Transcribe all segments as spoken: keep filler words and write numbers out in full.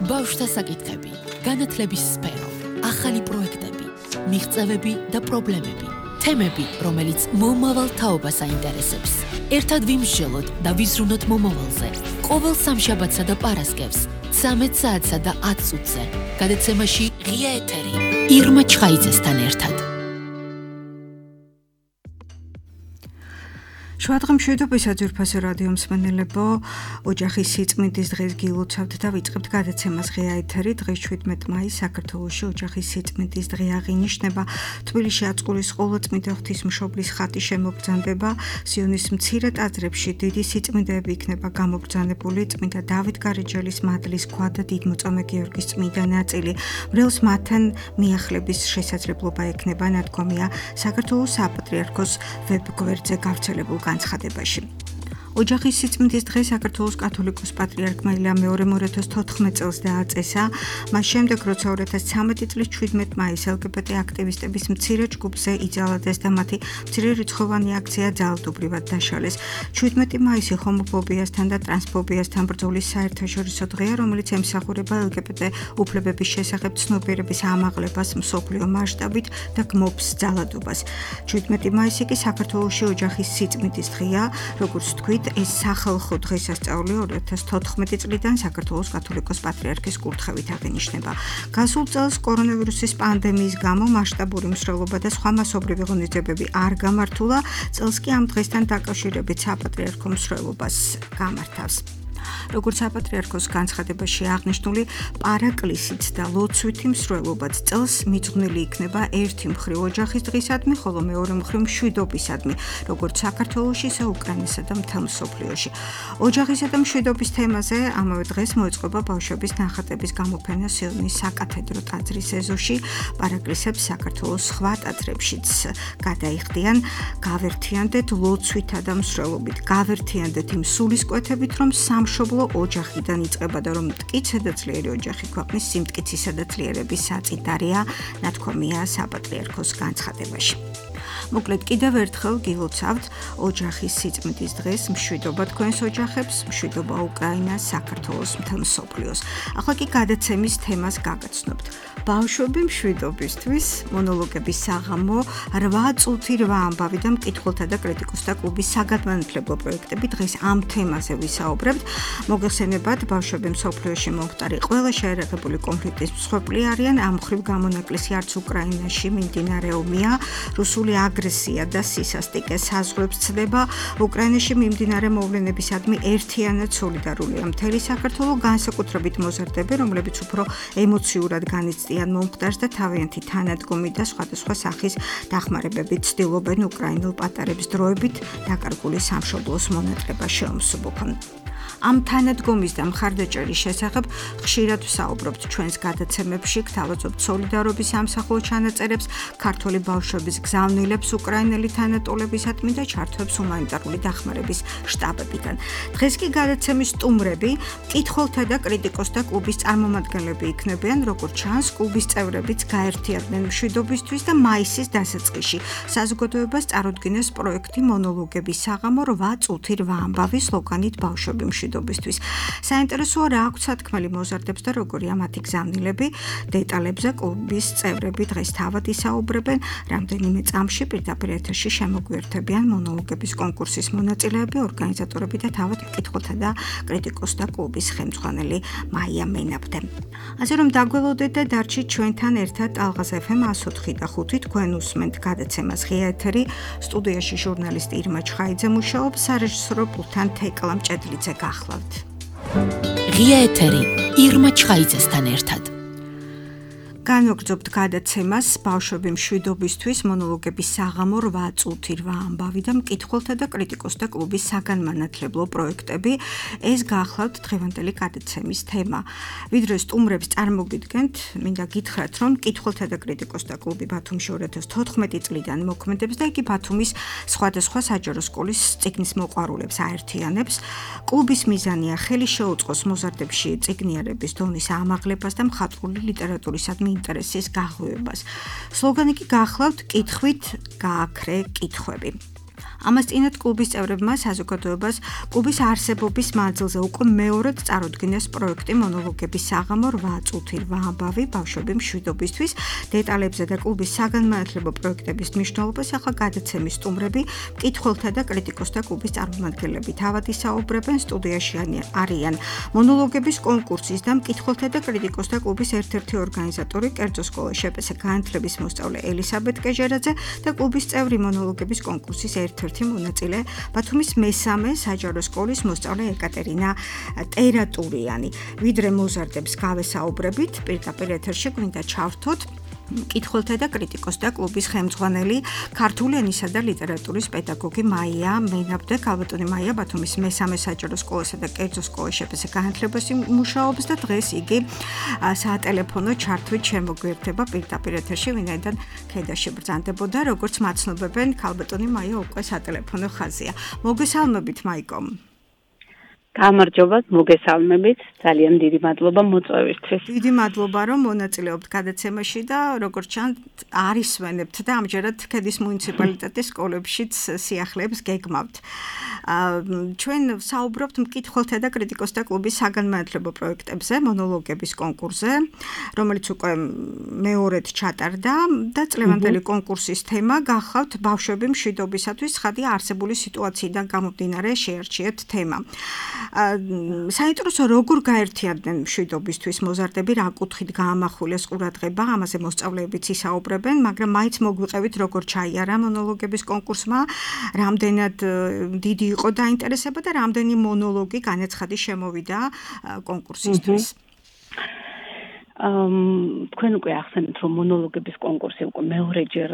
ბავშვთა საკითხები, განათლების სფერო, ახალი პროექტები, მიღწევები და პრობლემები, თემები, რომელიც მომავალ თაობას აინტერესებს. ერთად ვიმსჯელოთ და ვიზრუნოთ მომავალზე. ყოველ სამშაბათსა და პარასკევს, ცამეტ საათსა და ათ წუთზე, გადაცემაში ღია ეთერი, ირმა ჩხაიძესთან ერთად. შუადღე მშვიდობისა ძვირფასო რადიო მსმენელებო, ოჯახის სიწმინდის დღეს გილოცავთ და ვიწყებთ გადაცემას ღია ეთერი. დღეს შვიდმეტ მაისს საქართველოში ოჯახის სიწმინდის დღე აღინიშნება. თბილისში აწყურის ყოვლადწმიდა ღვთისმშობლის ხატი შემოგბრძანდება. სიონის მცირე ტაძრებში დიდი სიწმინდეები იქნება გამოგბრძანებული. წმინდა დავით გარეჯელის მადლის ქვა და დიდმოწამე გიორგის წმინდა ნაწილი. მრევლს მათთან მიახლების შესაძლებლობა ექნება, ნათქვამია საქართველოს საპატრიარქოს ვებგვერდზე გავრცელებულ განცხადებაში. ოჯახის სიწმინდის დღე საქართველოს კათოლიკოს პატრიარქმა ილია მეორემ ორ ათას თოთხმეტ წელს დააწესა. მას შემდეგ, როცა ორ ათას ცამეტი წლის შვიდმეტ მაისს ელგბტ აქტივისტების მცირე ჯგუფზე იძალადეს და მათი მცირერიცხოვანი აქცია ძალადობრივად დაშალეს. შვიდმეტი მაისი ჰომოფობიასთან და ტრანსფობიასთან ბრძოლის საერთაშორისო დღეა, რომელიც ემსახურება ელგბტ უფლებების შესახებ ცნობიერების ამაღლებას მსოფლიო მასშტაბით და გმობს ძალადობას. შვიდმეტი მაისი კი საქართველოში ოჯახის სიწმინდის დღეა, როგორც თქვით, ეს სახალხო დღესასწაული ორ ათას თოთხმეტი წლიდან საქართველოს კათოლიკოს პატრიარქის კურთხევით აღინიშნება. გასულ წელს კორონავირუსის პანდემიის გამო მასშტაბური მსვლელობა და სხვა მასობრივი ღონისძიებები არ გამართულა, წელს კი ამ დღესთან დაკავშირებით საპატრიარქო მსვლელობას გამართავს. როგორც საპატრიარქოს განცხადებაში აღნიშნული, პარაკლისით და ლოცვითი მსვლელობაც წელს მიძღვნილი იქნება ერთი მხრივ ოჯახის დღისადმი, ხოლო მეორე მხრივ მშვიდობისადმი, როგორც საქართველოში, ისე უკრაინასა და მთელ მსოფლიოში. ოჯახისა და მშვიდობის თემაზე ამავე დღეს მოეწყობა ბავშვების ნახატების გამოფენა სიონის საკათედრო ტაძრის ეზოში. პარაკლისებს საქართველოს სხვა ტაძრებშიც გადაიხდიან. გავერთიანდეთ ლოცვითა და მსვლელობით, გავერთიანდეთ იმ სულისკვეთებით, რომ სამშობლო ოჯახიდან იწყება და რომ მტკიცე და ძლიერი ოჯახი ქვეყნის სიმტკიცისა და ძლიერების საწინდარია, ნათქვამია საპატრიარქოს განცხადებაში. მოკლედ კიდევ ერთხელ გილოცავთ ოჯახის სიწმინდის დღეს, მშვიდობა თქვენს ოჯახებს, მშვიდობა უკრაინას, საქართველოს, მთელ მსოფლიოს. ახლა კი გადაცემის თემას გაგაცნობთ. ბავშვები მშვიდობისთვის, მონოლოგების საღამო, რვა წუთი რვა ამბავი და მკითხველთა და კრიტიკოსთა კლუბის საგანმანათლებლო პროექტები დღეს ამ თემაზე ვისაუბრებთ. მოგეხსენებათ, ბავშვები მსოფლიოში მომხდარი ყველა შეერაღებული კონფლიქტის მსხვერპლი არიან, ამ მხრივ გამონაკლისი არც უკრაინაში მიმდინარე ომია, რუსული აგრესია და სისასტიკე საზღვრებს ცდება. უკრაინაში მიმდინარე მოვლენებისადმი ერთიანად სოლიდარულია მთელი საქართველო, განსაკუთრებით მოზარდები, რომლებიც უფრო ემოციურად განიცდიან მომხდარს და თავიანთი თანადგომი და სხვადასხვა სახის დახმარებებით ცდილობენ უკრაინელ პატარებს დროებით დაკარგული სამშობლოს მონატრება შეუმსუბუქონ. ამ თანადგომის და მხარდაჭერის შესახებ ხშირად ვსაუბრობთ ჩვენს გადაცემებში, გთავაზობთ სოლიდარობის სამსახურ ჩანაწერებს, ქართველი ბავშვების გზავნილებს უკრაინელი თანატოლებისადმი და ჩართვებს ჰუმანიტარული დახმარების შტაბებიდან. დღეს კი გადაცემის სტუმრები, მკითხველთა და კრიტიკოსთა კლუბის წარმომადგენლები იქნებიან, როგორც ჩანს, კლუბის წევრებიც გაერთიანდნენ მშვიდობისთვის და მაისის დასაწყისში საზოგადოებას წარუდგინეს პროექტი მონოლოგების საღამო რვა წუთი რვა ამბავი სლოგანით ბავშვები მშვიდობისთვის. საინტერესოა რა აქვს სათქმელი მოზარდებს და როგორია მათი გზავნილები. დეტალებზე კლუბის წევრები დღეს თავად ისაუბრებენ. რამდენიმე წამში პირდაპირ ეთერში შემოგვიერთებიან მონოლოგების კონკურსის მონაწილეები, ორგანიზატორები და თავად მკითხველთა და კრიტიკოსთა კლუბის ხელმძღვანელი მაია მენაბდე. ასე რომ დაგველოდეთ და დარჩით ჩვენთან ერთად ალღაზ ეფ ემ ას ოთხი და ხუთი, თქვენ უსმენთ გადაცემას ღია ეთერი. სტუდიაში ჟურნალისტი ირმა ჩხაიძე მუშაობს, სარეჟისორო პულტთან თეკლა მჭედლიძე გახლავთ. ღია ეთერი, ირმა ჩხაიძესთან ერთად. განვაგრძობთ გადაცემას ბავშვები მშვიდობისთვის, მონოლოგების საღამო რვა წუთი რვა ამბავი და მკითხველთა და კრიტიკოსთა კლუბის საგანმანათლებლო პროექტები. ეს გახლავთ დღევანდელი გადაცემის თემა. ვიდრე სტუმრებს წარმოგიდგენთ, მინდა გითხრათ, რომ მკითხველთა და კრიტიკოსთა კლუბი ბათუმში ორ ათას თოთხმეტი წლიდან მოქმედებს და იგი ბათუმის სხვადასხვა საჯარო სკოლის წიგნის მოყვარულებს აერთიანებს. კლუბის მიზანია ხელი შეუწყოს მოზარდებში წიგნიერების დონის ამაღლებას და მხატვრული ლიტერატურისადმი ინტერესის გაღვივებას. სლოგანი კი გახლავთ კითხვით გააქრე კითხვები. ამას წინათ კლუბის წევრებმა საზოგადოებას კლუბის არსებობის მანძილზე უკვე მეორედ წარუდგინეს პროექტი მონოლოგების საღამო რვა წუთი რვა ამბავი ბავშვები მშვიდობისთვის. დეტალებზე და კლუბის საგანმანათლებლო პროექტების მნიშვნელობას ახლა გადაცემის სტუმრები, მკითხველთა და კრიტიკოსთა კლუბის წარმომადგენლები თავად ისაუბრებენ. სტუდიაში არიან მონოლოგების კონკურსის და მკითხველთა და კრიტიკოსთა კლუბის ერთ-ერთი ორგანიზატორი, კერძო სკოლა შპს განათლების მოსწავლე ელისაბედ კეჟერაძე და კლუბის წევრი მონოლოგების კონკურსის ერთ-ერთი მონაწილე ბათუმის მესამე საჯარო სკოლის მოსწავლე ეკატერინა ტერატურიანი. ვიდრე მოზარდებს გავესაუბრებით, პირდაპირ ეთერში გვინდა ჩავრთოთ მკითხველთა და კრიტიკოსთა კლუბის ხელმძღვანელი, ქართული ენისა და ლიტერატურის პედაგოგი მაია მენაბდე. ქალბატონი მაია ბათუმის მესამე საჯარო სკოლასა და კერძო სკოლა შპს განათლებას მუშაობს და დღეს იგი სატელეფონო ჩართვით შემოგვიერთდება პირდაპირ ეთერში, ვინაიდან ქედაში ბრძანდებოდა, როგორც მაცნობებენ, ქალბატონი მაია უკვე სატელეფონო ხაზია. მოგესალმებით მაიკო. გამარჯობათ, მოგესალმებით. ძალიან დიდი მადლობა მოწვევისთვის. დიდი მადლობა, რომ მონაწილეობთ გადაცემაში და როგორც ჩანს, არის ვენებთ და ამჯერად ქედის მუნიციპალიტეტის სკოლებშიც სიახლეებს გეგმავთ. ჩვენ საუბრობთ მკითხველთა და კრიტიკოსთა კლუბის საგანმანათლებლო პროექტებზე, მონოლოგების კონკურსზე, რომელიც უკვე მეორედ ჩატარდა და წლევანდელი კონკურსის თემა გახავთ ბავშვები მშვიდობისათვის ცხადია არსებული სიტუაციიდან გამომდინარე შეარჩიეთ თემა. საინტერესო როგორ გაერთიანდნენ მშვიდობისთვის მოზარდები, რა კუთხით გაამახვილეს ყურადღება, ამაზე მოსწავლეებიც ისაუბრებენ, მაგრამ მაინც მოგვიყევით როგორ ჩაიარა მონოლოგების კონკურსმა, რამდენად დიდი იყო დაინტერესება და რამდენი მონოლოგი განაცხადი შემოვიდა კონკურსისთვის. თქვენ უკვე ახსენეთ, რომ მონოლოგების კონკურსი უკვე მეორეჯერ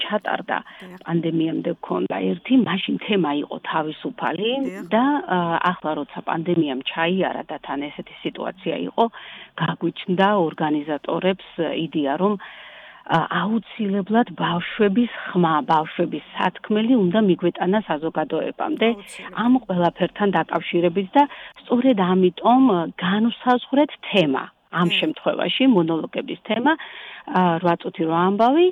ჩატარდა, პანდემიამდე გქონდა ერთი, მაშინ თემა იყო თავისუფალი და ახლა როცა პანდემიამ ჩაიარა და თან ესეთი სიტუაცია იყო, გაგვიჩნდა ორგანიზატორებს იდეა, რომ აუცილებლად ბავშვების ხმა, ბავშვების სათქმელი უნდა მიგვეტანა საზოგადოებამდე ამ ყველაფერთან დაკავშირებით და სწორედ ამიტომ განვსაზღვრეთ თემა. ამ შემთხვევაში მონოლოგების თემა რვა წუთი რვა ამბავი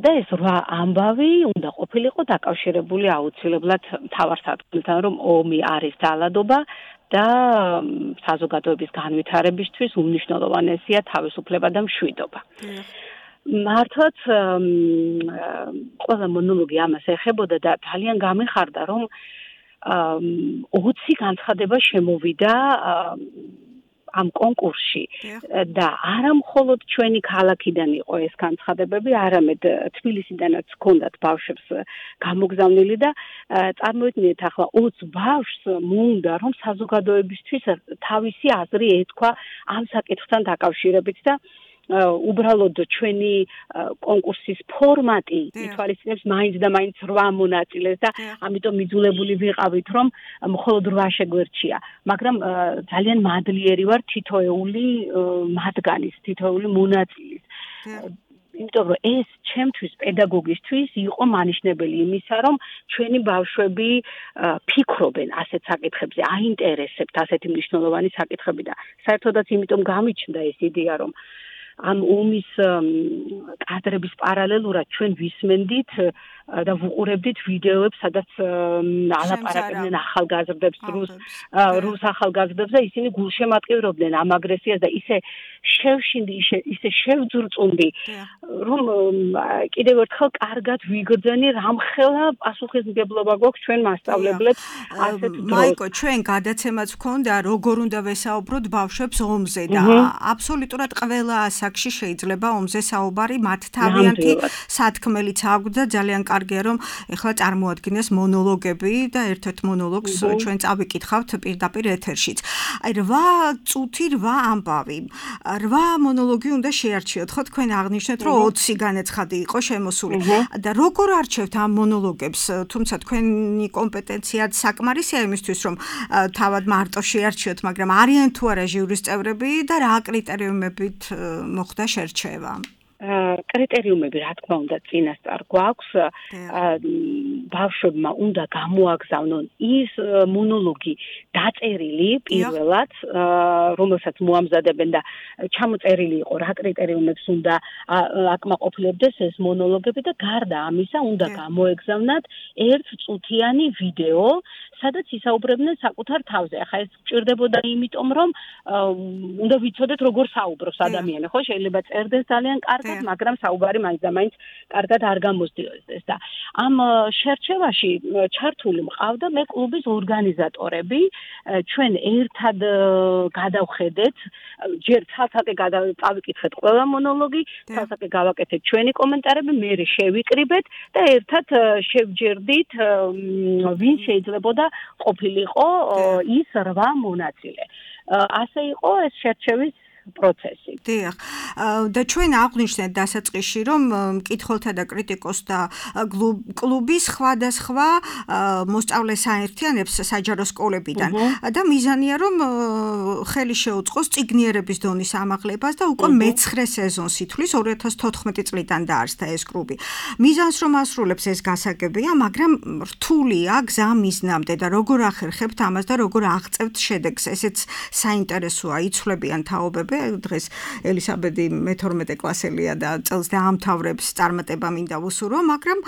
და ეს რვა ამბავი უნდა ყოფილიყო დაკავშირებული აუცილებლად მთავარ სათქმელთან, რომ ომი არის ძალადობა და საზოგადოების განვითარებისთვის უმნიშვნელოვანესია თავისუფლება და მშვიდობა. მართლაც ყველა მონოლოგი ამას ეხებოდა და ძალიან გამეხარდა, რომ ოცი განცხადება შემოვიდა ამ კონკურსში და არა მხოლოდ ჩვენი ქალაქიდან იყო ეს განცხადებები, არამედ თბილისიდანაც ჰქონდათ ბავშვებს გამოგზავნილი და წარმოიდგინეთ ახლა ოცი ბავშვს მოუნდა რომ საზოგადოებისთვის თავისი აზრი ეთქვა ამ საკითხთან დაკავშირებით და უბრალოდ ჩვენი კონკურსის ფორმატი ითვალისწინებს მაინც და მაინც რვა მონაწილეს და ამიტომ მიძულებული ვიყავით რომ მხოლოდ რვა შეგვერჩია, მაგრამ ძალიან მადლიერი ვარ თითოეული მათგანის, თითოეული მონაწილის. იმიტომ რომ ეს ჩემთვის პედაგოგისთვის იყო მანიშნებელი იმისა, რომ ჩვენი ბავშვები ფიქრობენ ასეთ საკითხებზე, აინტერესებთ ასეთი მნიშვნელოვანი საკითხები და საერთოდაც იმიტომ გამიჩნდა ეს იდეა, რომ ამ ომის კადრების პარალელურად ჩვენ ვისმენდით და ვუყურებდით ვიდეოებს, სადაც ალაპარაკებდნენ ახალგაზრდებს, რუს რუს ახალგაზრდებს და ისინი გულშემატკივრობდნენ ამ აგრესიას და ისე შევშინდი, ისე შევძრწუნდი, რომ კიდევ ერთხელ კარგად ვიგრძენი, რამხელა პასუხისმგებლობა გვაქვს ჩვენ მასწავლებლებს ასეთ დროს. მაიკო, ჩვენ გადაცემაც გვქონდა, როგორ უნდა ვესაუბროთ ბავშვებს ომზე და აბსოლუტურად ყველა ასაკში შეიძლება ომზე საუბარი, მათ თავიანთი სათქმელიც აქვს და ძალიან კარგია რომ ეხლა წარმოადგინეს მონოლოგები და ერთ-ერთ მონოლოგს ჩვენ წავიკითხავთ პირდაპირ ეთერშიც. აი რვა წუთი რვა ამბავი. რვა მონოლოგი უნდა შეარჩიოთ, ხო თქვენ აღნიშნეთ რომ ოცი განაცხადი იყო შემოსული და როგორ არჩევთ ამ მონოლოგებს, თუმცა თქვენი კომპეტენციაც საკმარისია იმისთვის რომ თავად მარტო შეარჩიოთ, მაგრამ არიან თუ არა ჟიურის წევრები და რა კრიტერიუმებით მოხდა შერჩევა? კრიტერიუმები რა თქმა უნდა წინასწარ გვაქვს ბავშვებმა უნდა გამოაგზავნონ ის მონოლოგი დაწერილი პირველად რომელსაც მოამზადებენ და ჩამოწერილი იყო რა კრიტერიუმებს უნდა აკმაყოფილებდეს ეს მონოლოგები და გარდა ამისა უნდა გამოეგზავნათ ერთწუთიანი ვიდეო სადაც ისაუბრებდნენ საკუთარ თავზე. ახლა ეს გჭირდებოდა იმიტომ რომ უნდა ვიცოდეთ როგორ საუბრობს ადამიანი, ხო? შეიძლება წერდეს ძალიან კარგად, მაგრამ საუბარი მაინც და მაინც კარგად არ გამოსდიოდეს და ამ შერჩევაში ჩართული მყავდა მე კლუბის ორგანიზატორები, ჩვენ ერთად გადავხედეთ, ჯერ ცალ-ცალკე გავიკითხეთ ყველა მონოლოგი, ცალ-ცალკე გავაკეთეთ ჩვენი კომენტარები, მე შევიკრიბეთ და ერთად შევჯერდით ვინ შეიძლებოდა ყოფილიყო ის რვა მონაწილე. ასე იყო ეს შერჩევის პროცესი. დიახ. და ჩვენ აღვნიშნეთ დასაწყისში, რომ მკითხველთა და კრიტიკოსთა კლუბის სხვადასხვა მოსწავლე საერთიანებს საჯარო სკოლებიდან და მიზანია, რომ ხელი შეუწყოს წიგნიერების დონის ამაღლებას და უკვე მეცხრე სეზონს ითვლის ორი ათას თოთხმეტი წლიდან დაარსდა ეს კლუბი. მიზანს რომ ასრულებს ეს გასაგებია, მაგრამ რთულია გზა მიზნამდე და როგორ ახერხებთ ამას და როგორ აღწევთ შედეგს. ესეც საინტერესოა, იცვლებიან თაობები. დღეს ელისაბედი მეთორმეტე კლასელია და წელს დაამთავრებს წარმატება მინდა ვუსურო, მაგრამ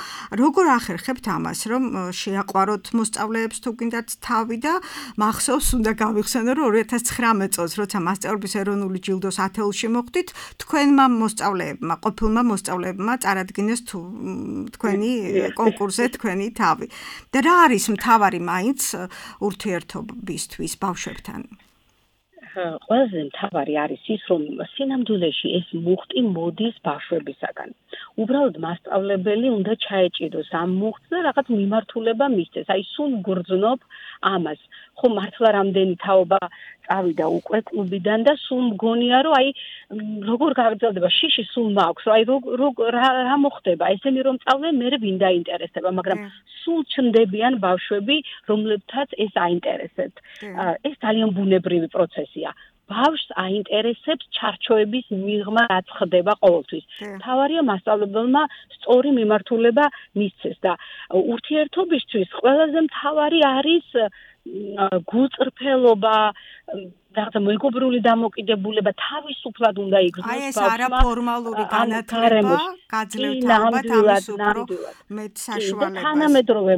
როგორ ახერხებთ ამას, რომ შეაყვაროთ მოსწავლეებს თუ გინდათ თავი და მახსოვს უნდა გავიხსენო, რომ ორი ათას ცხრამეტ წელს, როცა მასწავლებლის ეროვნული ჯილდოს ათეულში მოხვდით, თქვენმა მოსწავლეებმა, ყოფილმა მოსწავლეებმა წარადგინეს თქვენი კონკურსზე თქვენი თავი. და რა არის მთავარი მაინც ურთიერთობისთვის ბავშვებთან? ყველაზე მთავარი არის ის, რომ სინამდვილეში ეს მუხტი მოდის ბავშვებისაგან. უბრალოდ მასწავლებელი უნდა ჩაეჭიროს ამ მუხტს და რაღაც მიმართულება მისცეს. აი სულ გრძნობ ამას. ხო მართლა რამდენი თაობა წავიდა უკვე კლუბიდან და სულ მგონია, რომ აი როგორ გაგრძელდება შიში სულ მაქვს, აი რა მოხდება, ესენი რომ წავდნენ, მე ვინ დაინტერესდება, მაგრამ სულ ჩნდებიან ბავშვები, რომლებთაც ეს აინტერესებთ. ეს ძალიან ბუნებრივი პროცესია. ბავშვს აინტერესებს ჩარჩოების მიღმა რაც ხდება ყოველთვის. მთავარია მასწავლებელმა სწორი მიმართულება მისცეს და ურთიერთობისთვის ყველაზე მთავარი არის გულწრფელობა, რაღაცა მეგობრული დამოკიდებულება, თავისუფლად უნდა იგრძნოს ბავშვმა. აი ეს არაფორმალური განათლება გაძლევთ ალბათ ამის უფრო მეტ საშუალებას. თანამედროვე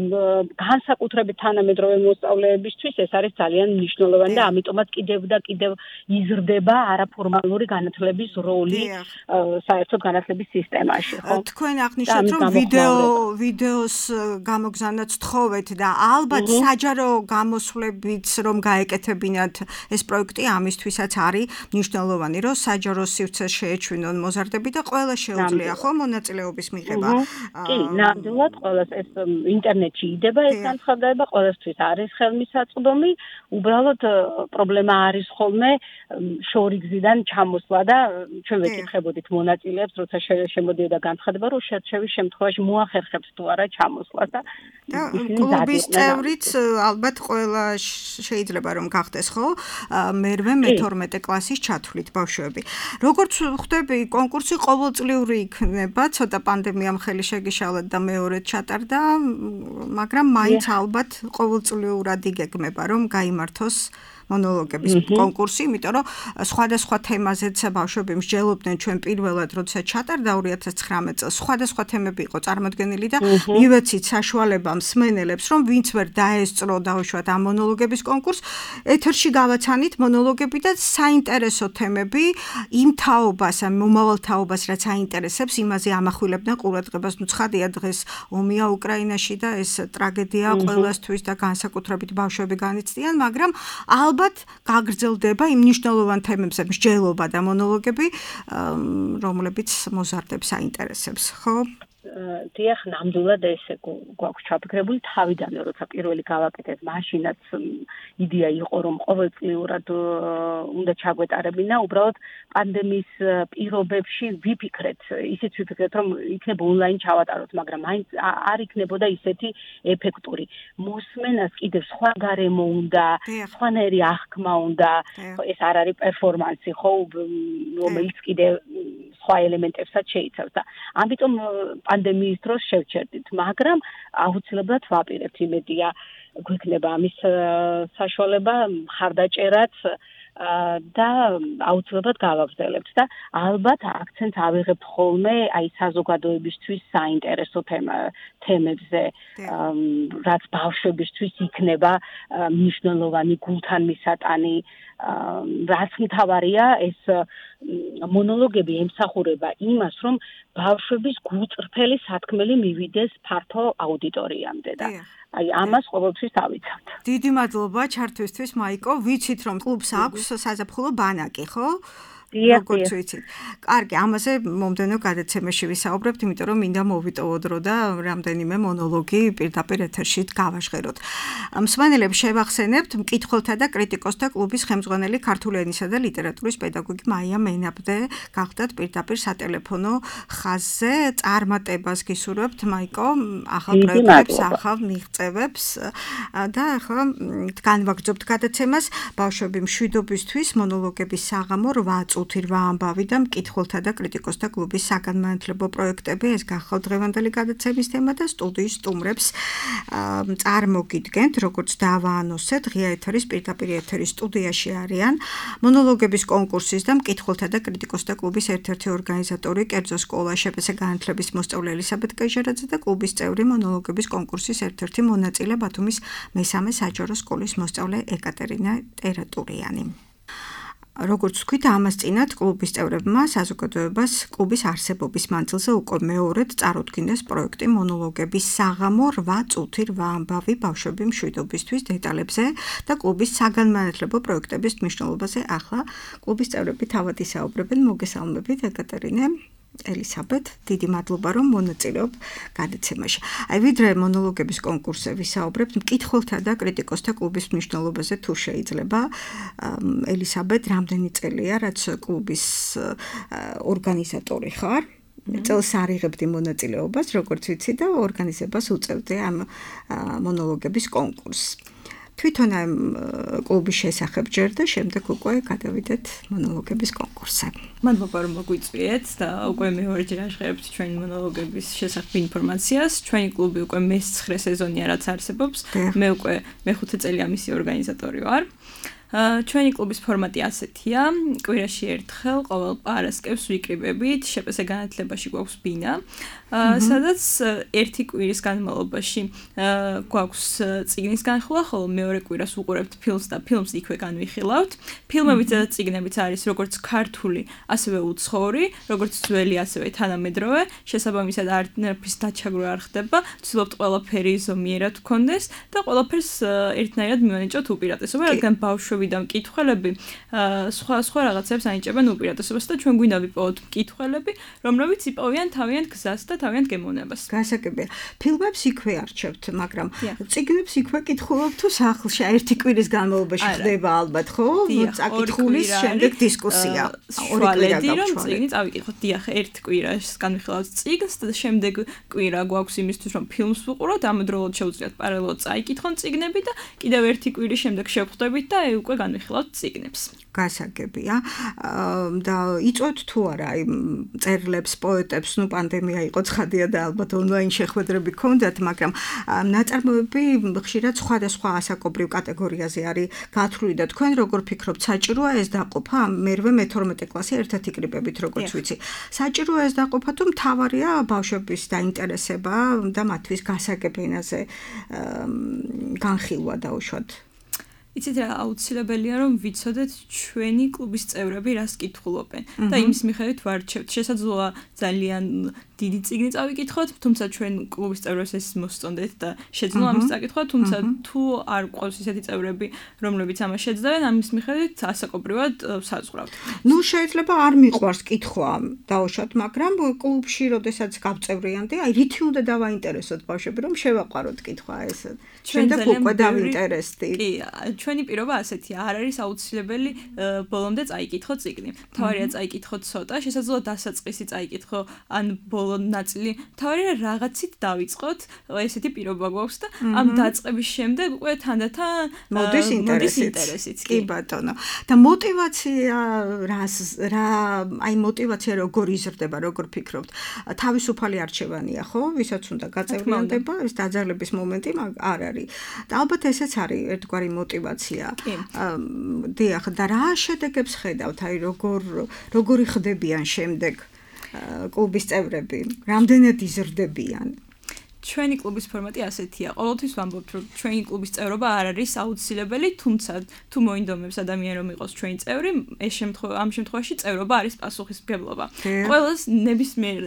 განსაკუთრებით თანამედროვე მოსწავლეებისთვის ეს არის ძალიან მნიშვნელოვანი და ამიტომაც კიდევ და კიდევ იზრდება არაფორმალური განათლების როლი საერთოდ განათლების სისტემაში, ხო? თქვენ აღნიშნეთ, რომ ვიდეო ვიდეოს გამოგზავნაც თხოვეთ და ალბათ საჯარო გამოსვლებიც რომ გაეკეთებინათ ეს პროექტი ამისთვისაც არის მნიშვნელოვანი, რომ საჯარო სივრცეს შეეჩვინონ მოზარდები და ყველა შეუძლია ხო მონაწილეობის მიღება. კი, ნამდვილად ყველას ეს ინტერნეტში იდება ეს განცხადება, ყველასთვის არის ხელმისაწვდომი, უბრალოდ პრობლემა არის ხოლმე შორიგზიდან ჩამოსვლა და ჩვენ ვეკითხებოდით მონაწილეებს, როცა შემოდიოდა განცხადება, რომ შერჩევის შემთხვევაში მოახერხებს თუ არა ჩამოსვლას და კლუბის წევრიც ალბათ ყველა შეიძლება რომ გახდეს ხო? მერვე მეთორმეტე კლასის ჩათვლით ბავშვები. როგორც ხვდები, კონკურსი ყოველწლიური იქნება, ცოტა პანდემიამ ხელი შეგიშალეთ და მეორედ ჩატარდა, მაგრამ მაინც ალბათ ყოველწლიურად იგეგმება, რომ გაიმართოს მონოლოგების კონკურსი, იმიტომ რომ სხვადასხვა თემაზეც ბავშვები მსჯელობდნენ ჩვენ პირველად, როცა ჩატარდა ორი ათას ცხრამეტ წელს, სხვადასხვა თემები იყო წარმოდგენილი და მივეცით საშუალება მსმენელებს, რომ ვინც ვერ დაესწრო დაუშვათ ამ მონოლოგების კონკურსს, ეთერში გავაცანით მონოლოგები და საინტერესო თემები იმ თაობას, ამ მომავალ თაობას, რაც აინტერესებს, იმაზე ამახვილებდნენ ყურადღებას. ნუ ცხადია დღეს ომია უკრაინაში და ეს ტრაგედია ყველასთვის და განსაკუთრებით ბავშვები განიცდიან, მაგრამ ალბათ გაგრძელდება იმ მნიშვნელოვან თემებზე მსჯელობა და მონოლოგები, რომლებიც მოზარდებს აინტერესებს, ხო? დიახ, ნამდვილად ესე გვაქვს ჩაფიქრებული თავიდანვე, როცა პირველი გავაკეთეთ, მაშინაც იდეა იყო, რომ ყოველწლიურად უნდა ჩაგვეტარებინა, უბრალოდ პანდემიის პირობებში ვიფიქრეთ, ისიც ვიფიქრეთ, რომ იქნება ონლაინ ჩავატაროთ, მაგრამ მაინც არ იქნებოდა ისეთი ეფექტური. მოსმენას კიდევ სხვა გარემო უნდა, სხვანაირი აღქმა უნდა, ეს არ არის პერფორმანსი, ხო, რომელიც კიდევ სხვა ელემენტებსაც შეიცავს და ამიტომ პანდემიის დროს შევჩერდით, მაგრამ აუცილებლად ვაპირებთ, იმედია გვექნება ამის საშუალება მხარდაჭერაც და აუცილებლად გავაგრძელებთ და ალბათ აქცენტს ავიღებთ ხოლმე აი საზოგადოებისთვის საინტერესო თემებზე, რაც ბავშვებისთვის იქნება მნიშვნელოვანი გულთან მისატანი, რაც მთავარია ეს მონოლოგები ემსახურება იმას, რომ ბავშვების გულწრფელი სათქმელი მივიდეს ფართო აუდიტორიამდე და აი ამას ყოველთვის დავიცავთ. დიდი მადლობა ჩართვისთვის, მაიკო. ვიცით რომ კლუბს აქვს საზაფხულო ბანაკი, ხო? როგორც ვიცით. კარგი, ამაზე მომდევნო გადაცემაში ვისაუბრებთ, იმიტომ რომ მინდა მოვიტოვო დრო და რამდენიმე მონოლოგი პირდაპირ ეთერში გავაჟღეროთ. მსმენელებს შევახსენებთ მკითხველთა და კრიტიკოსთა კლუბის ხელმძღვანელი ქართული ენისა და ლიტერატურის პედაგოგი მაია მენაბდე გახდათ პირდაპირ სატელეფონო ხაზზე. წარმატებას გისურვებთ, მაიკო, ახალ პროექტებს, ახალ მიღწევებს და ახლა განვაგრძობთ გადაცემას ბავშვები მშვიდობისთვის მონოლოგების საღამო რვა წუთი რვა ამბავი და მკითხველთა და კრიტიკოსთა კლუბის საგანმანათლებლო პროექტები. ეს გახავთ დღევანდელი გადაცემის თემა და სტუდიის სტუმრებს წარმოგიდგენთ, როგორც დავაანონსეთ, ღია ეთერის პირდაპირ ეთერის სტუდიაში არიან მონოლოგების კონკურსის და მკითხველთა და კრიტიკოსთა კლუბის ერთ-ერთი ორგანიზატორი, კერძო სკოლა შპს განათლების მოსწავლე ელისაბედ კეჟერაძე და კლუბის წევრი მონოლოგების კონკურსის ერთ-ერთი მონაწილე ბათუმის მესამე საჯარო სკოლის მოსწავლე ეკატერინა ტერატურიანი. როგორც ვთქვით, ამას წინათ კლუბის წევრებმა საზოგადოებას კლუბის არსებობის მანძილზე უკვე მეორედ წარუდგინეს პროექტი მონოლოგების საღამო რვა წუთი რვა ამბავი ბავშვები მშვიდობისთვის დეტალებზე და კლუბის საგანმანათლებლო პროექტების მნიშვნელობაზე ახლა კლუბის წევრები თავად ისაუბრებენ. მოგესალმებით, ეკატერინე. ელისაბედ, დიდი მადლობა რომ მონაწილეობ გადაცემაში. აი ვიდრე მონოლოგების კონკურსზე ვისაუბრებთ, მკითხველთა და კრიტიკოსთა კლუბის მნიშვნელობაზე თუ შეიძლება, ელისაბედ, რამდენი წელია, რაც კლუბის ორგანიზატორი ხარ? წელს არიღებდი მონაწილეობას, როგორც ვიცი და ორგანიზებას უწევდი ამ მონოლოგების კონკურსს. თვითონ ამ კლუბის შესახებ ჯერ და შემდეგ უკვე გადავიდეთ მონოლოგების კონკურსზე. მადლობა რომ მოგვიწვიეთ და უკვე მეორეჯერ აღხერებთ ჩვენი მონოლოგების შესახებ ინფორმაციას. ჩვენი კლუბი უკვე მესცხრე სეზონია რაც არსებობს. მე უკვე მეხუთე წელია მისი ორგანიზატორი ვარ. ჩვენი კლუბის ფორმატი ასეთია, კვირაში ერთხელ ყოველ პარასკევს ვიკრიბებით, შპს განათლებაში გვაქვს ბინა, სადაც ერთი კვირის განმავლობაში გვაქვს წიგნის განხილვა, ხოლო მეორე კვირას ვუყურებთ ფილმს და ფილმს იქვე განვიხილავთ. ფილმებიც და წიგნებიც არის როგორც ქართული, ასევე უცხოური, როგორც ძველი, ასევე თანამედროვე, შესაბამისად არც დაჩაგვრა არ ხდება, ვცდილობთ ყველაფერი ზომიერად გქონდეს და ყველაფერს ერთნაირად მივანიჭოთ უპირატესობა, რადგან ბავშვები და მკითხველები სხვა სხვა რაღაცებს ანიჭებენ უპირატესობას და ჩვენ გვინდა ვიპოვოთ მკითხველები, რომლებიც იპოვიან თავიანთ გზას და თავიანთ გემოვნებას. გასაგებია. ფილმებს იქვე არჩევთ, მაგრამ წიგნებს იქვე კითხულობთ თუ სახლში ერთი კვირის განმავლობაში ხდება ალბათ, ხო? წაკითხulis შემდეგ დისკუსია. ორი კვირა გაქვს. წიგნი წავიკითხოთ, დიახ, ერთ კვირას განვიხილავთ წიგნს და შემდეგ კვირა გვაქვს იმისთვის, რომ ფილმს ვუყუროთ, ამავდროულად შეუძლიათ პარალელურად წაიკითხონ წიგნები და კიდევ ერთი კვირის შემდეგ შევხვდებით და უკვე განვიხილავთ წიგნებს. გასაგებია. და იწვევთ თუ არა აი წერილებს, პოეტებს, ნუ პანდემია იყო ცხადია და ალბათ ონლაინ შეხვედრები გქონდათ, მაგრამ ნაწარმოები ხშირად სხვადასხვა ასაკობრივ კატეგორიაზე არის გათვლილი და თქვენ როგორ ფიქრობთ, საჭიროა ეს დაყოფა? მერვე მეთორმეტე კლასი ერთად იკრიბებით, როგორც ვიცი. საჭიროა ეს დაყოფა თუ მთავარია ბავშვების დაინტერესება და მათთვის გასაგებენაზე განხილვა დაუშვათ? იცით რა, აუცილებელია რომ ვიცოდეთ ჩვენი კლუბის წევრები რას კითხულობენ და იმის მიხედვით ვარჩევთ. შესაძლოა ძალიან დიდი წიგნი წავიკითხოთ, თუმცა ჩვენ კლუბის წევრებს ეს მოსწონდეთ და შეძლო ამის წაკითხვა, თუმცა თუ არ გვყავს ისეთი წევრები, რომლებიც ამას შეძლავენ, ამის მიხედვით ასაკობრივად საზღვრავთ. ნუ შეიძლება არ მიყვარს კითხვა დაუშვათ, მაგრამ კლუბში როდესაც გავწევრიანდი, აი რითი უნდა დავაინტერესოთ ბავშვები, რომ შევაყვაროთ კითხვა ეს. ჩვენ და უკვე დავინტერესდი. კი, ჩვენი პირობა ასეთია, არ არის აუცილებელი ბოლომდე წაიკითხო წიგნი. თავარია წაიკითხო ცოტა, შესაძლოა დასაწყისი წაიკითხო ან ბოლო ნაწილი. თავარია რაღაცით დავიწყოთ, ესეთი პირობა გვაქვს და ამ დაწყების შემდეგ უკვე თანდათან მოდის ინტერესიც. კი ბატონო. და მოტივაცია რას რა აი მოტივაცია როგორ იზრდება, როგორ ფიქრობთ? თავისუფალი არჩევანია, ხო? ვისაც უნდა გაწევრიანდება, ეს დაძალების მომენტი არ არის. და ალბათ ესეც არის ერთგვარი მოტივაცია. დიახ, და რა შედეგებს ხედავთ? აი როგორ როგორი ხდებიან შემდეგ კლუბის წევრები? რამდენად იზრდებიან? ჩვენი კლუბის ფორმატი ასეთია. ყოველთვის ვამბობთ, რომ ჩვენი კლუბის წევრობა არ არის აუცილებელი, თუმცა თუ მოინდომებს ადამიანი რომ იყოს ჩვენი წევრი, ეს შემთხვევა ამ შემთხვევაში წევრობა არის პასუხისმგებლობა. ყველას ნებისმიერ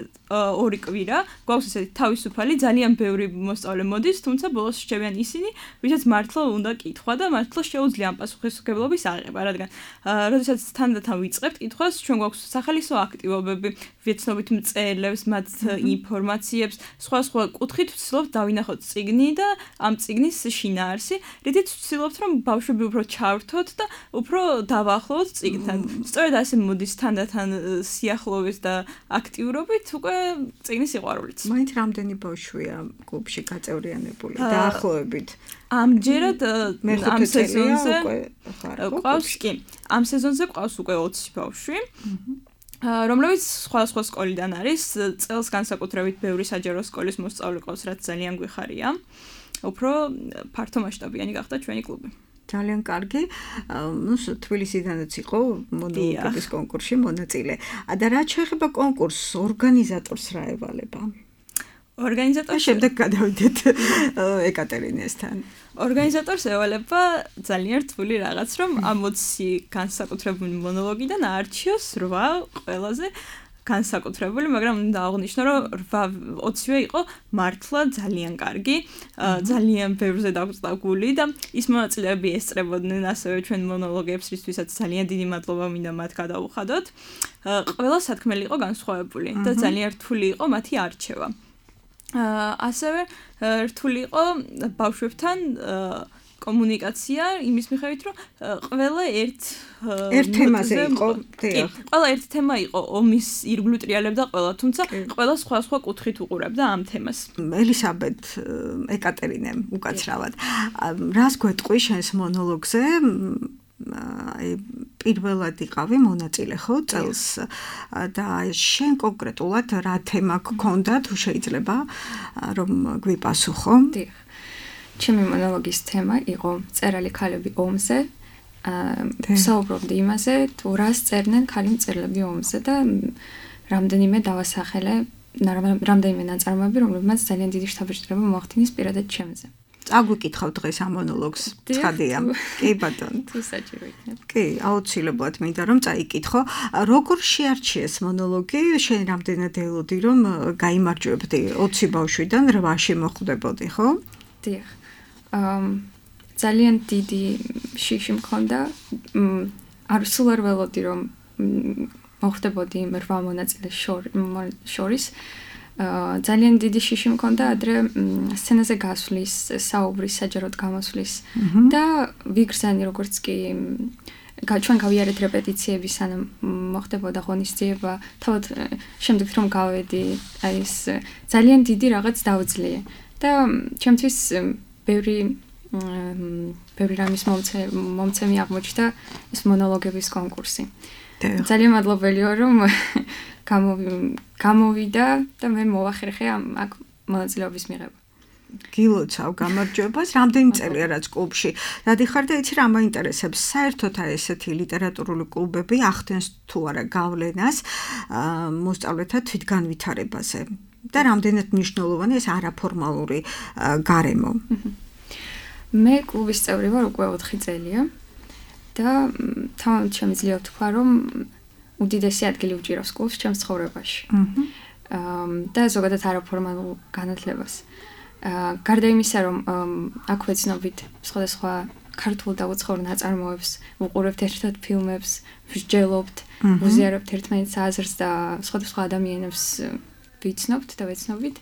ორი კვირა გვაქვს ესეთი თავისუფალი, ძალიან ბევრი მოსწავლე მოდის, თუმცა ბოლოს რჩებიან ისინი, ვისაც მართლა უნდა კითხვა და მართლა შეუძლია ამ პასუხისმგებლობის აღება, რადგან როდესაც თანდათან ვიწყებთ კითხვას, ჩვენ გვაქვს სახალისო აქტივობები, ვეცნობით მწერლებს, მათ ინფორმაციებს, სხვა სხვა კუთხით ვცდილობთ დავინახოთ წიგნი და ამ წიგნის შინაარსი, რითიც ვცდილობთ რომ ბავშვები უფრო ჩავრთოთ და უფრო დავაახლოვოთ წიგნთან. სწორედ ასე მოდის თანდათან სიახლოვეს და აქტიურობით უკვე წიგნის სიყვარულიც. მაინც რამდენი ბავშვია კლუბში გაწევრიანებული დაახლოებით? ამჯერად ამ სეზონზე ყავს კი. ამ სეზონზე ყავს უკვე ოცი ბავშვი. რომლებიც სხვადასხვა სკოლიდან არის, წელს განსაკუთრებით ბევრი საჯარო სკოლის მოსწავლე ყავს, რაც ძალიან გვიხარია. უფრო ფართო მასშტაბიანი გახდა ჩვენი კლუბი. ძალიან კარგი. ნუ თბილისიდანაც იყო მონოლოგების კონკურსში მონაწილე. და რაც შეეხება კონკურსს, ორგანიზატორს რა ევალება? ორგანიზატორს შემდეგ გადავიდეთ ეკატერინესთან. ორგანიზატორს ევალება ძალიან რთული რაღაც, რომ ამ ოცი განსაკუთრებული მონოლოგიდან აარჩიოს რვა ყველაზე განსაკუთრებული, მაგრამ უნდა აღნიშნო, რომ ოცივე იყო მართლა ძალიან კარგი, ძალიან ბევრზე დაგვწდა გული და ის მონაწილეები ესწრებოდნენ ასევე ჩვენ მონოლოგებს, რისთვისაც ძალიან დიდი მადლობა მინდა მათ გადავუხადოთ. ყველა სათქმელი იყო განსხვავებული და ძალიან რთული იყო მათი არჩევა. ასევე რთული იყო ბავშვებთან კომუნიკაცია იმის მიხედვით, რომ ყველა ერთ ერთ თემაზე იყო, დიახ. ყველა ერთ თემა იყო, ომის ირგვლივ ტრიალებდა ყველა, თუმცა ყველა სხვა-სხვა კუთხით უყურებდა ამ თემას. ელისაბედ ეკატერინე უკაცრავად. რას გვეტყვი შენს მონოლოგზე? აი პირველად იყავი მონაწილე ხო წელს და შენ კონკრეტულად რა თემა გქონდა თუ შეიძლება რომ გვიპასუხო? დიახ. ჩემი მონოლოგის თემა იყო წერალი ქალები ომზე. საუბრობდი იმაზე, თუ რას წერდნენ ქალი მწერლები ომზე და რამდენიმე დავასახელე, რამდენიმე ნაწარმოები, რომლებმაც ძალიან დიდი შთაბეჭდილება მოახდინეს პირადად ჩემზე. აგვიკითხავ დღეს ამ მონოლოგს, ცხადია. კი ბატონო. თუ საჭირო იქნება. კი, აუცილებლად მინდა რომ წაიკითხო. როგორ შეარჩიეს მონოლოგი? შენ რამდენად ელოდი რომ გაიმარჯვებდი ოცი ბავშვიდან რვაში მოხვდებოდი, ხო? დიახ. ძალიან დიდი შიში მქონდა. არ სულ არ ველოდი რომ მოხვდებოდი იმ რვა მონაწილეს შორის. ძალიან დიდი შიში მქონდა ადრე სცენაზე გასვლის, საუბრის, საჯაროდ გამოსვლის და ვიგრძანი როგორც კი ჩვენ გავიარეთ რეპეტიციები, სანამ მოხდებოდა ღონისძიება, თავად შემდეგ რომ გავედი, აი ეს ძალიან დიდი რაღაც დავძლიე და ჩემთვის ბევრი ბევრი რამის მომცემი აღმოჩნდა ეს მონოლოგების კონკურსი. ძალიან მადლობელი ვარ რომ გამოვიდა და მე მოვახერხე აქ მონაწილეობის მიღება. გილოცავ გამარჯვებას, რამდენი წელია რაც კლუბში. დადიხარ და იცი რა მაინტერესებს, საერთოდ აი ესეთი ლიტერატურული კლუბები ახდენს თუ არა გავლენას მოსწავლეთა თვითგანვითარებაზე და რამდენად მნიშვნელოვანი ეს არაფორმალური გარემო. მე კლუბის წევრი ვარ უკვე ოთხი წელია და თამამად შემიძლია ვთქვა რომ უდიდესი ადგილი უჭირავს კლუბს ჩემს ცხოვრებაში. და ზოგადად არაფორმალურ განათლებას. გარდა იმისა, რომ აქ ვეცნობით სხვადასხვა ქართულ და უცხოურ ნაწარმოებს, ვუყურებთ ერთად ფილმებს, ვსჯელობთ, ვუზიარებთ ერთმანეთს აზრს და სხვადასხვა ადამიანებს ვიცნობთ და ვეცნობით.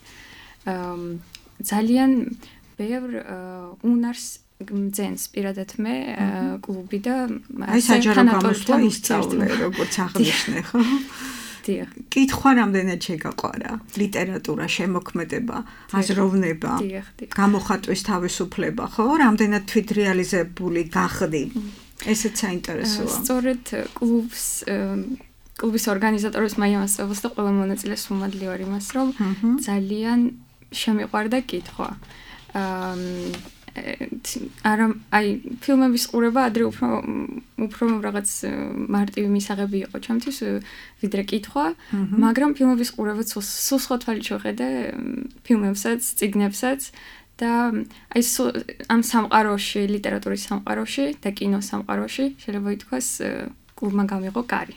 ძალიან ბევრ უნარს ძენს პირადად მე კლუბი და აი საჯარო გამოსვლა ისწავლე როგორც აღნიშნე ხო? დიახ. კითხვა რამდენად შეგაყვარა? ლიტერატურა, შემოქმედება, აზროვნება, გამოხატვის თავისუფლება, ხო? რამდენად თვითრეალიზებული გახდი? ესეც საინტერესოა. სწორედ კლუბს კლუბის ორგანიზატორის მაიამასწავლოს და ყველა მონაწილეს უმადლი ვარ იმას, რომ ძალიან შემიყვარდა კითხვა. არა აი ფილმების ყურება ადრე უფრო უფრო რაღაც მარტივი მისაღები იყო ჩემთვის ვიდრე კითხვა, მაგრამ ფილმების ყურებაც სულ სხვა თვალით შევხედე ფილმებსაც, წიგნებსაც და აი ამ სამყაროში, ლიტერატურის სამყაროში და კინოს სამყაროში შეიძლება ითქვას კლუბმა გამიღო კარი.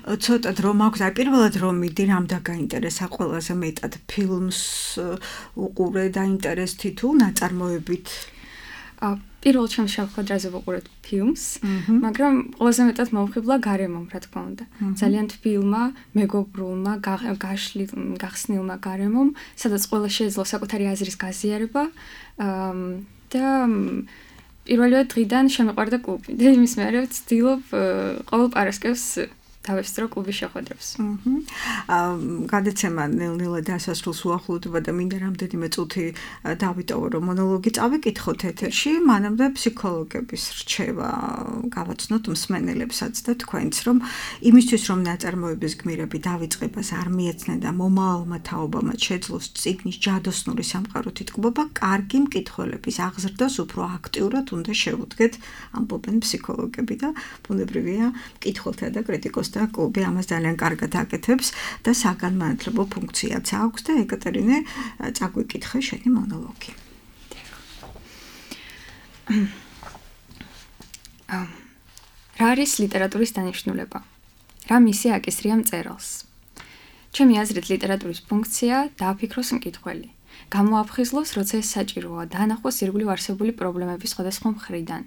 ცოტა დრო მაქვს, აი პირველად რომ მიდი რამ დაგაინტერესა ყველაზე მეტად ფილმს უყურე დაინტერესდი თუ ნაწარმოებით? პირველ ჩემს შეხვედრაზე ვუყურეთ ფილმს, მაგრამ ყველაზე მეტად მოვხიბლა გარემომ, რა თქმა უნდა. ძალიან თბილმა, მეგობრულმა, გაშლილ, გახსნილმა გარემომ, სადაც ყველა შეეძლო საკუთარი აზრის გაზიარება და პირველივე დღიდან შემეყვარდა კლუბი. და იმის მერე ვცდილობ ყოველ პარასკევს დავესწრო კლუბის შეხვედრებს. აა გადაცემა ნელ-ნელა დასასრულს უახლოვდება და მინდა რამდენიმე წუთი დავიტოვო რომ მონოლოგი წავიკითხოთ ეთერში, მანამდე ფსიქოლოგების რჩევა გავაცნოთ მსმენელებსაც და თქვენც, რომ იმისთვის რომ ნაწარმოების გმირები დავიწყებას არ მიეცნენ და მომავალმა თაობამაც შეძლოს წიგნის ჯადოსნური სამყაროთი ტკბობა, კარგი მკითხველების აღზრდას უფრო აქტიურად უნდა შევუდგეთ, ამბობენ ფსიქოლოგები და ბუნებრივია მკითხველთა და კრიტიკოსთა და კლუბი ამას ძალიან კარგად აკეთებს და საგანმანათლებლო ფუნქციაც აქვს და ეკატერინე წაგვიკითხე შენი მონოლოგი. რა არის ლიტერატურის დანიშნულება? რა მისი აკისრია მწერალს? ჩემი აზრით ლიტერატურის ფუნქცია დააფიქროს მკითხველი. გამოაფხიზლოს, როცა ეს საჭიროა, დაანახოს ირგვლივ არსებული პრობლემების სხვადასხვა მხრიდან.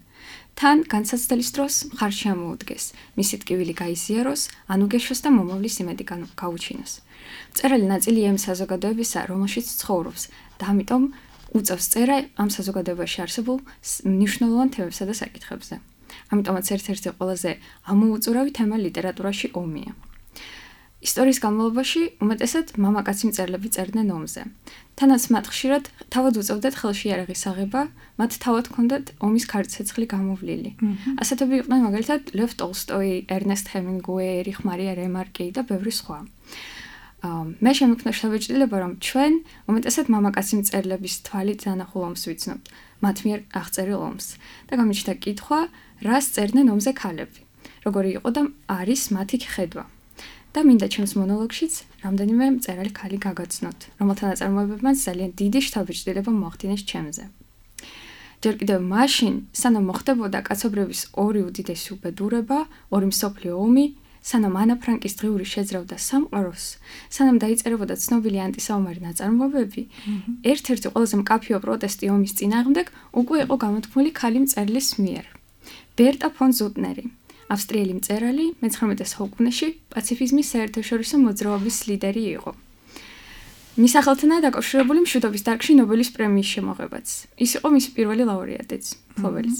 თან განსაცდელის დროს მხარში ამოუდგეს, მისი ტკივილი გაიზიაროს, ანუგეშოს და მომავლის იმედი გაუჩინოს. მწერალი ნაწილია იმ საზოგადოებისა, რომელშიც ცხოვრობს და ამიტომ უწევს წერა ამ საზოგადოებაში არსებულ მნიშვნელოვან თემებსა და საკითხებზე. ამიტომაც ერთ-ერთი ყველაზე ამოუწურავი თემა ლიტერატურაში ომია. ისტორიის განმავლობაში უმეტესად მამაკაცი მწერლები წერდნენ ომზე. თანაც მათ ხშირად თავად უწევდათ ხელში იარაღის აღება, მათ თავად ჰქონდათ ომის ქარცეცხლი გამოვლილი. ასეთები იყვნენ მაგალითად ლევ ტოლსტოი, ერნესტ ჰემინგუეი, ერიხ მარია რემარკი და ბევრი სხვა. მე შემექმნა შთაბეჭდილება, რომ ჩვენ უმეტესად მამაკაცი მწერლების თვალით დანახულ ომს ვიცნობთ, მათ მიერ აღწერილ ომს. და გამიჩნდა კითხვა, რას წერდნენ ომზე ქალები, როგორი იყო და არის მათი ხედვა. და მინდა ჩემს მონოლოგშიც რამდენიმე მწერალი ქალი გაგაცნოთ, რომელთა ნაწარმოებებმაც ძალიან დიდი შთაბეჭდილება მოახდინეს ჩემზე. ჯერ კიდევ მაშინ, სანამ მოხდებოდა კაცობრიობის ორი უდიდესი უბედურება, ორი მსოფლიო ომი, სანამ ანა ფრანკის დღიური შეძრავდა სამყაროს, სანამ დაიწერებოდა ცნობილი ანტისაომარი ნაწარმოებები, ერთ-ერთი ყველაზე მკაფიო პროტესტი ომის წინააღმდეგ უკვე იყო გამოთქმული ქალი მწერლის მიერ. ბერტა ფონ ზუტნერი, ავსტრიელი მწერალი, მეცხრამეტე საუკუნეში პაციფიზმის საერთაშორისო მოძრაობის ლიდერი იყო. მის სახელთანაა დაკავშირებული მშვიდობის დარგში ნობელის პრემიის შემოღებაც. ის იყო მისი პირველი ლაურეატიც, ფლობელიც.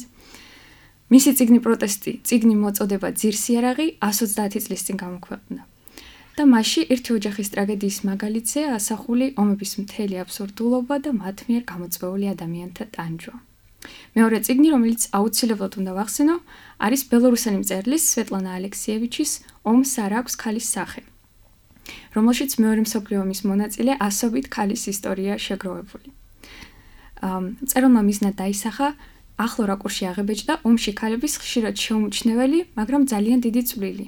მისი წიგნი პროტესტი, წიგნი მოწოდება ძირსიარაღი εκατს ოცდაათი წლის წინ გამოქვეყნდა. და მასში ერთი ოჯახის ტრაგედიის მაგალითზე ასახული ომების მთელი აბსურდულობა და მათ მიერ გამოწვეული ადამიანთა ტანჯვა. მეორე წიგნი, რომელიც აუცილებლად უნდა ვახსენო, არის ბელორუსელი მწერლის სვეტლანა ალექსიევიჩის ომს არ აქვს ქალის სახე, რომელშიც მეორე მსოფლიო ომის მონაწილე ასობით ქალის ისტორია შეგროვებული. მწერალმა მიზნად დაისახა ახლო რაკურსში აღებეჭდა ომში ქალების ხშირად შეუმჩნეველი, მაგრამ ძალიან დიდი წვლილი.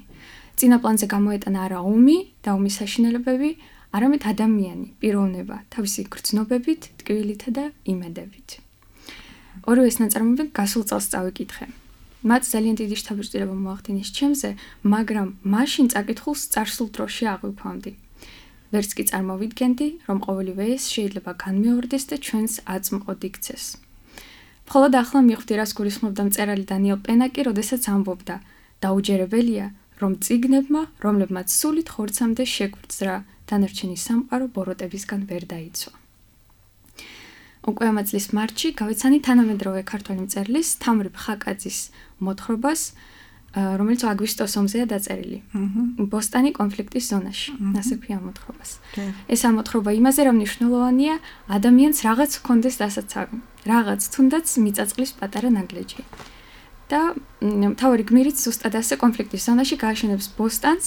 წინა პლანზე გამოეტანა არა ომი და ომის საშინელებები, არამედ ადამიანი, პიროვნება, თავისი გრძნობებით, ტკივილითა და იმედებით. ორივე ეს ნაწარმოები გასულ წელს წავიკითხე. მათ ძალიან დიდი შთაბეჭდილება მოახდინეს ჩემზე, მაგრამ მაშინ წაკითხულს წარსულ დროში აღვიქვამდი. ვერც კი წარმოვიდგენდი, რომ ყოველივე ეს შეიძლება განმეორდეს და ჩვენს აწმყოდ იქცეს. მხოლოდ ახლა მივხვდი, რას გულისხმობდა მწერალი დანიელ პენაკი, როდესაც ამბობდა, დაუჯერებელია, რომ წიგნებმა, რომლებმაც სულით ხორცამდე შეგვძრა, დანარჩენი სამყარო ბოროტებისგან ვერ დაიცვა. უკვე ამ წლის მარტში გავიცანი თანამედროვე ქართველი მწერლის თამრ ხაკაძის მოთხრობას, რომელიც აგვისტოს ომზეა დაწერილი. ბოსტანი კონფლიქტის ზონაში. ასე ქვია მოთხრობას. ეს ამოთხრობა იმაზე რა მნიშვნელოვანია, ადამიანს რაღაც ჰქონდეს დასაცავი, რაღაც თუნდაც მიწაწყლის პატარა ნაგლეჯი. და მთავარი გმირიც ზუსტად ასე კონფლიქტის ზონაში გააშენებს ბოსტანს,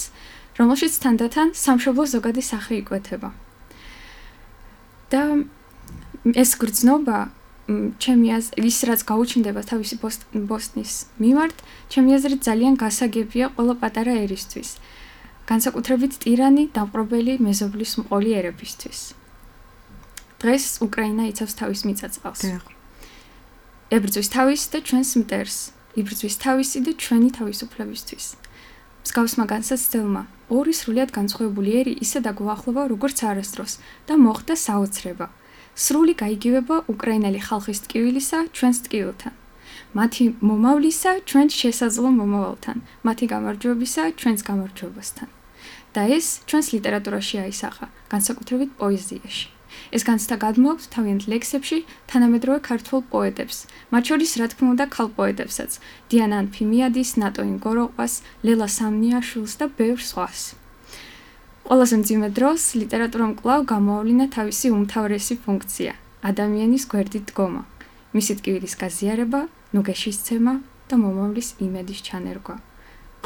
რომელშიც თანდათან სამშობლო ზოგადი სახე იკვეთება. და ეს გრძნობა ჩემი აზრით ის რაც გაუჩნდება თავისი ბოსტნის მიმართ, ჩემი აზრით ძალიან გასაგებია ყველა პატარა ერისთვის. განსაკუთრებით ტირანი, დამპყრობელი, მეზობლის მყოლი ერებისთვის. დღეს უკრაინა იცავს თავის მიწაწყალს. ებრძვის თავის და ჩვენს მტერს, იბრძვის თავისი და ჩვენი თავისუფლებისთვის. მსგავსმა განსაცდელმა ორი სრულიად განსხვავებული ერი ისე დაგუახლოვა, როგორც არასდროს და მოხდა საოცრება. სრული გაიგივება უკრაინელი ხალხის ტკივილისა ჩვენს ტკივილთან, მათი მომავლისა ჩვენს შესაძლო მომავალთან, მათი გამარჯვებისა ჩვენს გამარჯვებასთან. და ეს ჩვენს ლიტერატურაში აისახა, განსაკუთრებით პოეზიაში. ეს განცდა გადმოაქვს თავიანთ ლექსებში თანამედროვე ქართველ პოეტებს, მათ შორის რა თქმა უნდა ქალ პოეტებსაც, დიანა ანფიმიადის, ნატოინ გოროყვას, ლელა სამნიაშვილს და ბევრ სხვას. ყველაზე მძიმე დროს ლიტერატურამ კვლავ გამოავლინა თავისი უმთავრესი ფუნქცია, ადამიანის გვერდით დგომა, მისი ტკივილის გაზიარება, ნუგეშისცემა და მომავლის იმედის ჩანერგვა.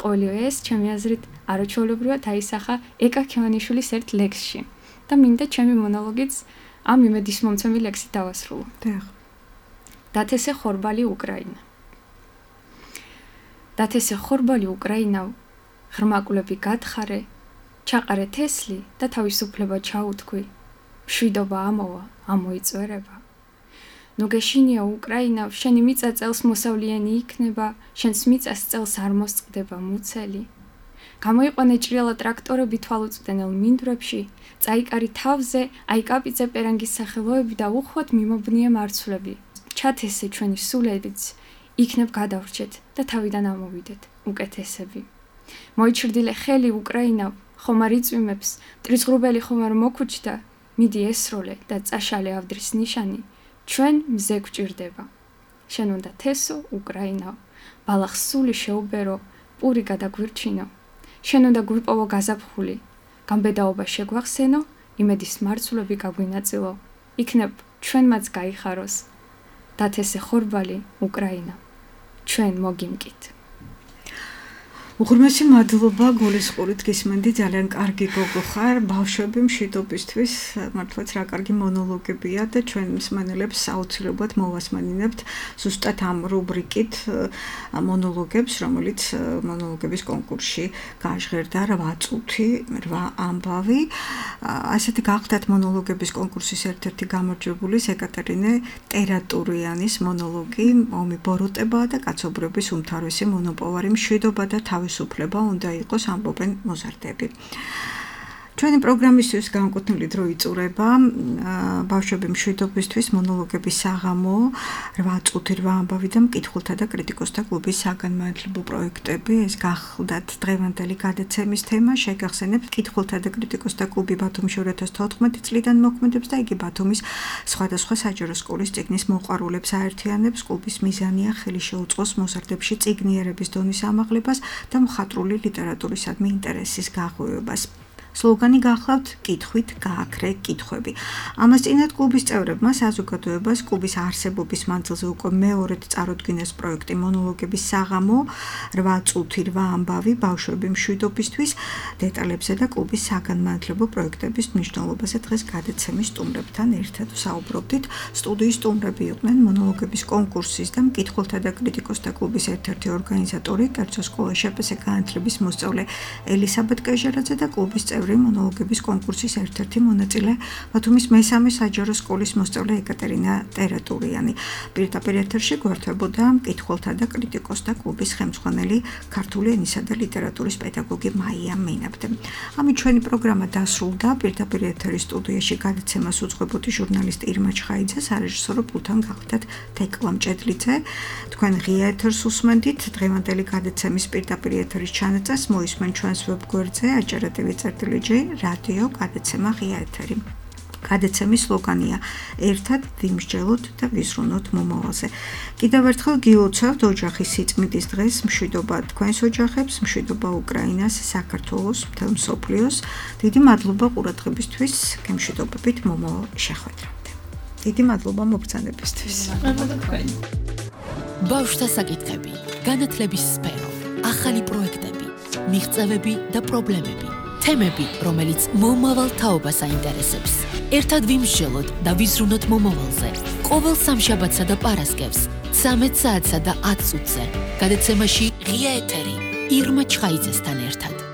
ყოველივე ეს, ჩემი აზრით, არაჩვეულებრივად აისახა ეკა ქევანიშვილის ერთ ლექსში და მინდა ჩემი მონოლოგიც ამ იმედისმომცემი ლექსით დავასრულო. დათესე ხორბალი უკრაინა. დათესე ხორბალი უკრაინა, ღრმა კვლები გათხარე, ჩაყარე თესლი და თავისუფლება ჩაუთქვი, მშვიდობა ამოვა, ამოიწვერება. ნუგეშინია უკრაინა, შენი მიწა წელს მოსავლიანი იქნება, შენს მიწას წელს არ მოსწყდება მუცელი. გამოიყვანე ჭრიალა ტრაქტორები თვალუწვდენელ მინდვრებში, წაიკარი თავზე, აიკაპიძე პერანგის სახელოები და უხვად მიმობნიე მარცვლები. ჩათესე ჩვენი სულებიც, იქნებ გადავრჩეთ და თავიდან ამოვიდეთ უკეთესები. მოიჩრდილე ხელი უკრაინა, ხომარ იწვიმებს, ტრიცხრუბელი ხომარ მოგუჩდა, მიდი ესროლე და წაშალე ავდრის ნიშანი, ჩვენ მზე გვჭირდება. შენ უნდა თესო უკრაინაო, ბალახს სული შეუბერო, პური გადაგვირჩინო. შენ უნდა გვიპოვო გაზაფხული, გამბედაობა შეგვახსენო, იმედის მარცვლები გაგვინაწილო, იქნებ ჩვენმაც გაიხაროს. დათესე ხორბალი უკრაინა, ჩვენ მოგიმკით. უღრმესი მადლობა გულისყურით გისმენდი, ძალიან კარგი გოგო ხარ, ბავშვები მშვიდობისთვის, მართლაც რა კარგი მონოლოგებია და ჩვენ მსმენელებს აუცილებლად მოვასმენინებთ ზუსტად ამ რუბრიკით მონოლოგებს, რომელიც მონოლოგების კონკურსში გაჟღერდა რვა წუთი, რვა ამბავი. ასეთი გახდათ მონოლოგების კონკურსის ერთ-ერთი გამარჯვებულის ეკატერინე ტერატურიანის მონოლოგი ომი ბოროტება და კაცობრიობის უმთავრესი მონოპოვარი მშვიდობა და თავის უფლება უნდა იყოს, ამბობენ მოზარდები. ჩვენი პროგრამისთვის განკუთვნილი დრო იწურება ბავშვები მშვიდობისთვის მონოლოგების საღამო, რვა წუთი რვა ამბავი და მკითხველთა და კრიტიკოსთა კლუბის საგანმანათლებლო პროექტები. ეს გახლდათ დღევანდელი გადაცემის თემა, შეგახსენებთ მკითხველთა და კრიტიკოსთა კლუბი ბათუმში ორი ათას თოთხმეტი წლიდან მოქმედებს და იგი ბათუმის სხვადასხვა საჯარო სკოლის წიგნის მოყვარულებს აერთიანებს. კლუბის მიზანია ხელი შეუწყოს მოზარდებში წიგნიერების დონის ამაღლებას და მხატვრული ლიტერატურისადმი ინტერესის გაღვივებას. სლოგანი გახლავთ კითხვით გააქრე კითხვები. ამას წინათ კლუბის წევრებმა საზოგადოებას კლუბის არსებობის მანძილზე უკვე მეორედ წარუდგინეს პროექტი მონოლოგების საღამო, რვა წუთი რვა ამბავი ბავშვები მშვიდობისთვის. დეტალებზე და კლუბის საგანმანათლებლო პროექტების მნიშვნელობაზე დღეს გადაცემის სტუმრებთან ერთად ვსაუბრობდით. სტუდიის სტუმრები იყვნენ მონოლოგების კონკურსის და მკითხველთა და კრიტიკოსთა კლუბის ერთ-ერთი ორგანიზატორი, კერძო სკოლა შპს განათლების მოსწავლე ელისაბედ კეჟერაძე და კლუბის წევრი მონოლოგების კონკურსის ერთ-ერთი მონაწილე ბათუმის მესამე საჯარო სკოლის მოსწავლე ეკატერინე ტერატურიანი. პირდაპირ ეთერში გვერდებოდა მკითხველთა და კრიტიკოსთა კლუბის ხელმძღვანელი ქართული ენისა და ლიტერატურის პედაგოგი მაია მენაბდე. ამით ჩვენი პროგრამა დასრულდა. პირდაპირ ეთერის სტუდიაში გადაცემას უძღვებოდი ჟურნალისტი ირმა ჩხაიძე, სარეჟისორო პულტთან გახლდათ თეკლა მჭედლიძე. თქვენ ღია ეთერს უსმენდით. დღევანდელი გადაცემის პირდაპირ ეთერის ჩანაწერს მოისმენ ჩვენს ვებგვერდზე აჭარა ტივი წერტილი რადიო გადაცემა ღია ეთერი. გადაცემის სლოგანია ერთად ვიმსჯელოთ და ვიზრუნოთ მომავალზე. კიდევ ერთხელ გილოცავთ ოჯახის სიწმინდის დღეს, მშვიდობა თქვენს ოჯახებს, მშვიდობა უკრაინას, საქართველოს, მთელ მსოფლიოს. დიდი მადლობა ყურადღებისთვის, გემშვიდობებით მომავალ შეხვედრამდე. დიდი მადლობა მობრძანებისთვის. მადლობა თქვენ. ბავშვთა საკითხები, განათლების სფერო, ახალი პროექტები, მიღწევები და პრობლემები. თემები, რომელიც მომავალ თაობას აინტერესებს. ერთად ვიმსჯელოთ და ვიზრუნოთ მომავალზე. ყოველ სამშაბათსა და პარასკევს, ცამეტ საათსა და ათ წუთზე. გადაცემაში ღია ეთერი ირმა ჩხაიძესთან ერთად.